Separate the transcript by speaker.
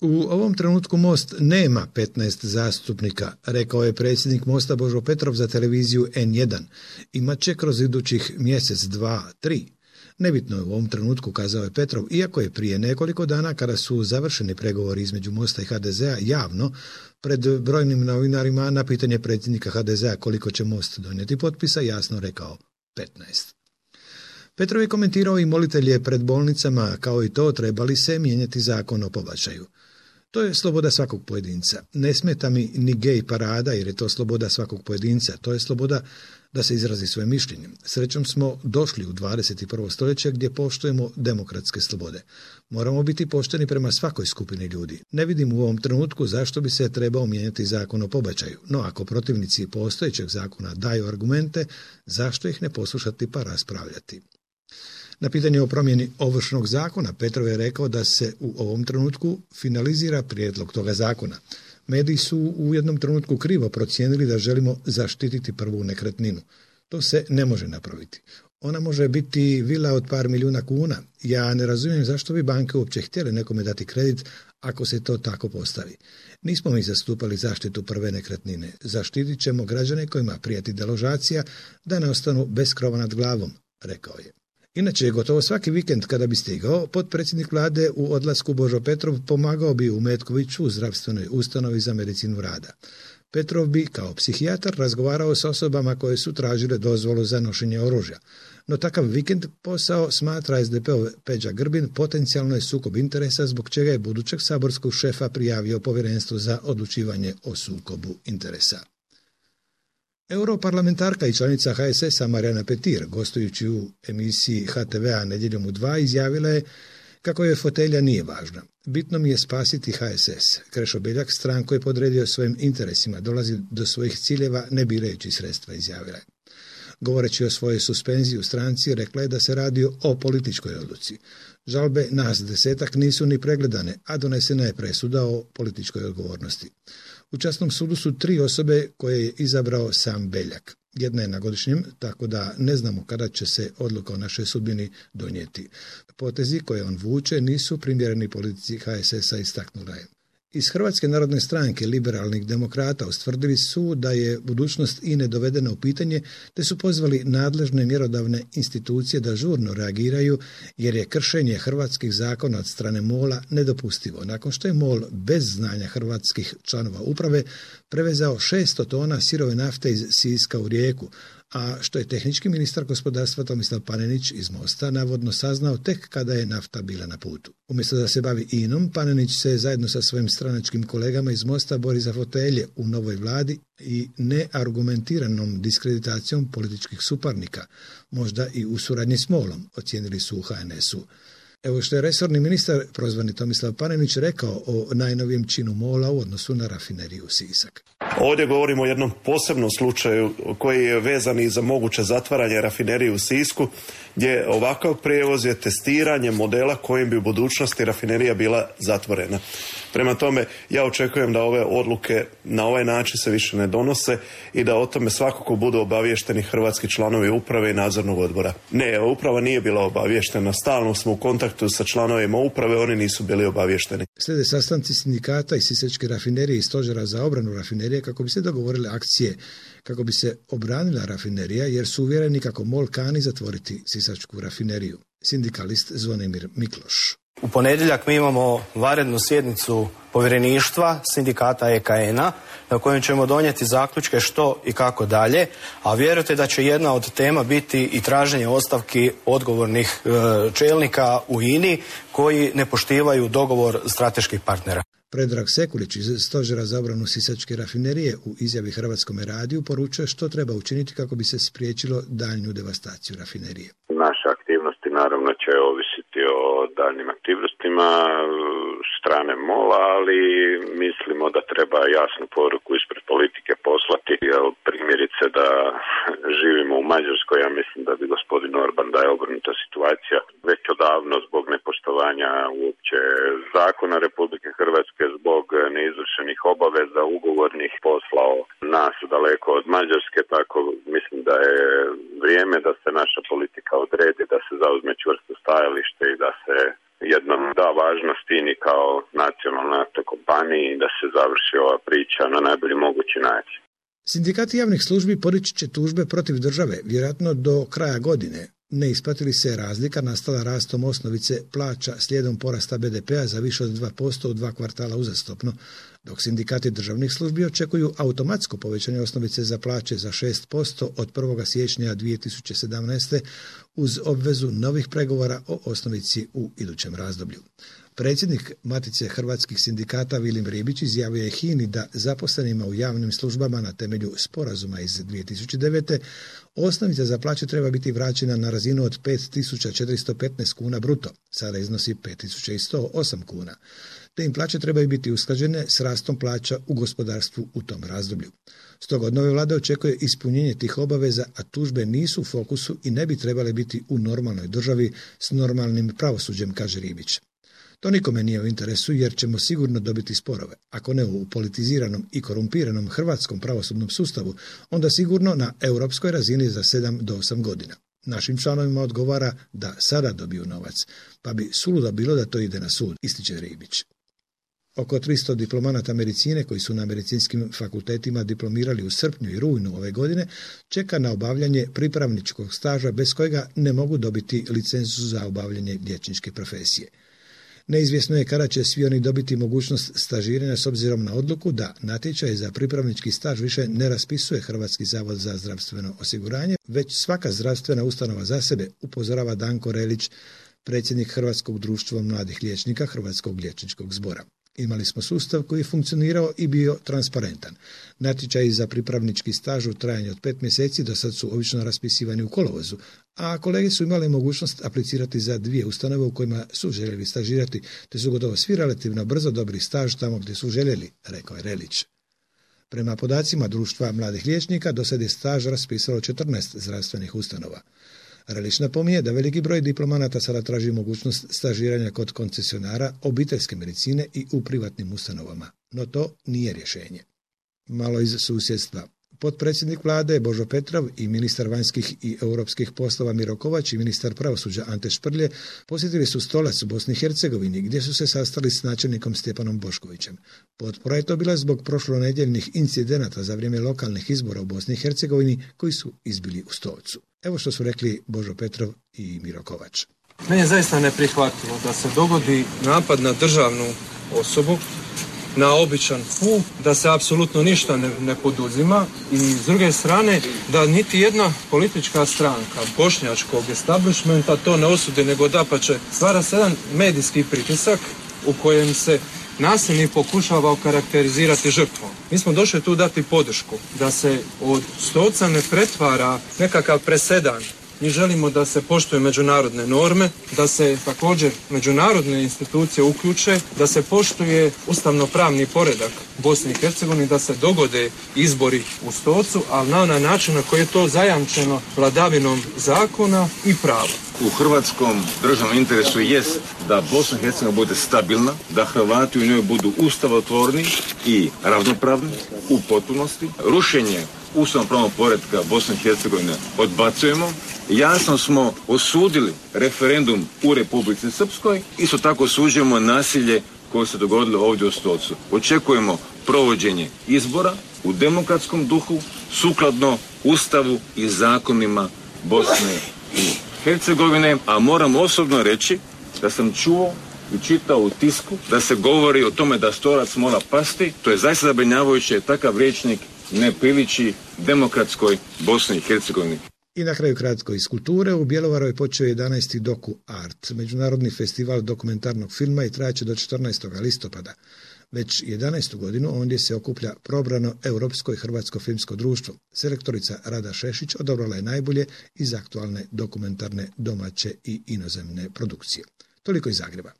Speaker 1: U ovom trenutku Most nema 15 zastupnika, rekao je predsjednik Mosta Božo Petrov za televiziju N1. Imat će kroz idućih mjesec, 2, 3. Nebitno je u ovom trenutku, kazao je Petrov, iako je prije nekoliko dana kada su završeni pregovori između Mosta i HDZ-a javno pred brojnim novinarima na pitanje predsjednika HDZ-a koliko će Most donijeti potpisa jasno rekao 15. Petrov je komentirao i molitelje pred bolnicama, kao i to treba li se mijenjati zakon o pobačaju. To je sloboda svakog pojedinca. Ne smeta mi ni gej parada jer je to sloboda svakog pojedinca. To je sloboda da se izrazi svoje mišljenje. Srećom smo došli u 21. stoljeće gdje poštujemo demokratske slobode. Moramo biti pošteni prema svakoj skupini ljudi. Ne vidim u ovom trenutku zašto bi se trebao mijenjati zakon o pobačaju. No ako protivnici postojećeg zakona daju argumente, zašto ih ne poslušati pa raspravljati? Na pitanje o promjeni Ovršnog zakona Petrov je rekao da se u ovom trenutku finalizira prijedlog toga zakona. Mediji su u jednom trenutku krivo procijenili da želimo zaštititi prvu nekretninu. To se ne može napraviti. Ona može biti vila od par milijuna kuna. Ja ne razumijem zašto bi banke uopće htjele nekome dati kredit ako se to tako postavi. Nismo mi zastupali zaštitu prve nekretnine. Zaštitit ćemo građane kojima prijeti deložacija da ne ostanu bez krova nad glavom, rekao je. Inače, gotovo svaki vikend kada bi stigao, potpredsjednik vlade u odlasku Božo Petrov pomagao bi u Metkoviću u zdravstvenoj ustanovi za medicinu rada. Petrov bi, kao psihijatar, razgovarao s osobama koje su tražile dozvolu za nošenje oružja. No takav vikend posao, smatra SDP-ov Peđa Grbin, potencijalno je sukob interesa zbog čega je budućeg saborskog šefa prijavio Povjerenstvu za odlučivanje o sukobu interesa. Europarlamentarka i članica HSS-a Marijana Petir, gostujući u emisiji HTV-a Nedjeljom u 2, izjavila je kako je fotelja nije važna. Bitno mi je spasiti HSS. Krešo Beljak stranku je podredio svojim interesima, dolazi do svojih ciljeva ne birajući sredstva, izjavila je. Govoreći o svojoj suspenziji u stranci, rekla je da se radi o političkoj odluci. Žalbe nas 10 nisu ni pregledane, a donesena je presuda o političkoj odgovornosti. U časnom sudu su 3 osobe koje je izabrao sam Beljak. Jedna je na godišnjem, tako da ne znamo kada će se odluka o našoj sudbini donijeti. Potezi koje on vuče nisu primjereni politici HSS-a, istaknula je. Iz Hrvatske narodne stranke liberalnih demokrata ustvrdili su da je budućnost INE dovedena u pitanje, te su pozvali nadležne mjerodavne institucije da žurno reagiraju jer je kršenje hrvatskih zakona od strane MOL-a nedopustivo. Nakon što je MOL bez znanja hrvatskih članova uprave prevezao 600 tona sirove nafte iz Siska u Rijeku, a što je tehnički ministar gospodarstva Tomislav Panenić iz Mosta navodno saznao tek kada je nafta bila na putu. Umjesto da se bavi INom, Panenić se zajedno sa svojim stranačkim kolegama iz Mosta bori za fotelje u novoj vladi i neargumentiranom diskreditacijom političkih suparnika, možda i u suradnji s MOL-om, ocijenili su u HNS-u. Evo što je resorni ministar, prozvani Tomislav Panenić, rekao o najnovijem činu MOL-a u odnosu na rafineriju Sisak.
Speaker 2: Ovdje govorimo o jednom posebnom slučaju koji je vezan i za moguće zatvaranje rafinerije u Sisku, gdje ovakav prijevoz je testiranje modela kojim bi u budućnosti rafinerija bila zatvorena. Prema tome, ja očekujem da ove odluke na ovaj način se više ne donose i da o tome svakako budu obaviješteni hrvatski članovi uprave i nadzornog odbora. Ne, uprava nije bila obavještena, stalno smo u kontaktu sa članovima uprave, oni nisu bili obavješteni.
Speaker 1: Slijede sastanci sindikata i Sisačke rafinerije i stožera za obranu rafinerije kako bi se dogovorile akcije, kako bi se obranila rafinerija, jer su uvjereni kako MOL kani zatvoriti Sisačku rafineriju. Sindikalist Zvonimir Mikloš.
Speaker 3: U ponedjeljak mi imamo vanrednu sjednicu povjereništva sindikata EKN-a na kojem ćemo donijeti zaključke što i kako dalje, a vjerujte da će jedna od tema biti i traženje ostavki odgovornih čelnika u INI koji ne poštivaju dogovor strateških partnera.
Speaker 1: Predrag Sekulić iz stožera za obranu Sisačke rafinerije u izjavi Hrvatskome radiju poručuje što treba učiniti kako bi se spriječilo daljnju devastaciju rafinerije.
Speaker 4: Naše aktivnosti naravno će ovisiti o daljnjim aktivnostima strane MOL-a, ali mislimo da treba jasnu poruku ispred politike poslati. Primjerice da živimo u Mađarskoj, ja mislim da bi gospodin Orban, da je obrnuta situacija već odavno zbog nepoštovanja uopće zakona Republike Hrvatske, zbog neizvršenih obaveza ugovornih poslao nas daleko od Mađarske, tako mislim da je vrijeme da se naša politika odredi, da se zauzme čvrsto stajalište i da se jednom da važnost INI kao nacionalnoj kompaniji da se završi ova priča na najbolji mogući način.
Speaker 1: Sindikati javnih službi podići će tužbe protiv države, vjerojatno do kraja godine. Ne isplati li se razlika nastala rastom osnovice plaća slijedom porasta BDP-a za više od 2% u 2 kvartala uzastopno, dok sindikati državnih službi očekuju automatsko povećanje osnovice za plaće za 6% od 1. siječnja 2017. uz obvezu novih pregovora o osnovici u idućem razdoblju. Predsjednik Matice hrvatskih sindikata Vilim Ribić izjavio je HINA-i da zaposlenima u javnim službama na temelju sporazuma iz 2009. osnovica za plaće treba biti vraćena na razinu od 5.415 kuna bruto, sada iznosi 5.108 kuna, te im plaće trebaju biti usklađene s rastom plaća u gospodarstvu u tom razdoblju. Stoga od nove vlade očekuje ispunjenje tih obaveza, a tužbe nisu u fokusu i ne bi trebale biti u normalnoj državi s normalnim pravosuđem, kaže Ribić. To nikome nije u interesu jer ćemo sigurno dobiti sporove. Ako ne u politiziranom i korumpiranom hrvatskom pravosudnom sustavu, onda sigurno na europskoj razini za 7 do 8 godina. Našim članovima odgovara da sada dobiju novac, pa bi suludo bilo da to ide na sud, ističe Ribić. Oko 300 diplomanata medicine koji su na medicinskim fakultetima diplomirali u srpnju i rujnu ove godine čeka na obavljanje pripravničkog staža bez kojega ne mogu dobiti licencu za obavljanje liječničke profesije. Neizvjesno je kada će svi oni dobiti mogućnost stažiranja s obzirom na odluku da natječaj za pripravnički staž više ne raspisuje Hrvatski zavod za zdravstveno osiguranje, već svaka zdravstvena ustanova za sebe, upozorava Danko Relić, predsjednik Hrvatskog društva mladih liječnika Hrvatskog liječničkog zbora. Imali smo sustav koji je funkcionirao i bio transparentan. Natječaji za pripravnički staž u trajanju od 5 mjeseci do sad su obično raspisivani u kolovozu, a kolege su imali mogućnost aplicirati za 2 ustanove u kojima su željeli stažirati, te su gotovo svi relativno brzo dobili staž tamo gdje su željeli, rekao je Relić. Prema podacima društva mladih liječnika, do sad je staž raspisalo 14 zdravstvenih ustanova. Relić napominje da veliki broj diplomanata sada traži mogućnost stažiranja kod koncesionara obiteljske medicine i u privatnim ustanovama, no to nije rješenje. Malo iz susjedstva. Potpredsjednik vlade Božo Petrov i ministar vanjskih i europskih poslova Miro Kovač i ministar pravosuđa Ante Šprlje posjetili su Stolac u Bosni i Hercegovini gdje su se sastali s načelnikom Stjepanom Boškovićem. Potpora je to bila zbog prošlonedjeljnih incidenata za vrijeme lokalnih izbora u Bosni i Hercegovini koji su izbili u Stolcu. Evo što su rekli Božo Petrov i Miro Kovač.
Speaker 5: Meni je zaista neprihvatljivo da se dogodi napad na državnu osobu, na običan put, da se apsolutno ništa ne poduzima i s druge strane da niti jedna politička stranka bošnjačkog establishmenta to ne osudi, nego dapače stvara se jedan medijski pritisak u kojem se nasilnik pokušava okarakterizirati žrtvom. Mi smo došli tu dati podršku da se od Stolca ne pretvara nekakav presedan. Mi želimo da se poštuju međunarodne norme, da se također međunarodne institucije uključe, da se poštuje ustavno-pravni poredak Bosne i Hercegovine, da se dogode izbori u Stolcu, ali na onaj način na koji je to zajamčeno vladavinom zakona i prava.
Speaker 6: U hrvatskom državnom interesu jest da Bosna i Hercegovina bude stabilna, da Hrvati u njoj budu ustavotvorni i ravnopravni u potpunosti. Rušenje ustavno-pravnog poretka Bosne i Hercegovine odbacujemo. Jasno smo osudili referendum u Republici Srpskoj, isto tako osuđujemo nasilje koje se dogodilo ovdje u Stolcu. Očekujemo provođenje izbora u demokratskom duhu, sukladno Ustavu i zakonima Bosne i Hercegovine, a moram osobno reći da sam čuo i čitao u tisku da se govori o tome da Stolac mora pasti. To je zaista zabrinjavajuće, takav rječnik ne priliči demokratskoj Bosni i Hercegovini.
Speaker 1: I na kraju kratko iz kulture. U Bjelovaru je počeo 11. Doku Art, međunarodni festival dokumentarnog filma i trajaće do 14. listopada. Već 11. godinu ondje se okuplja probrano Europsko i Hrvatsko filmsko društvo. Selektorica Rada Šešić odabrala je najbolje iz aktualne dokumentarne domaće i inozemne produkcije. Toliko iz Zagreba.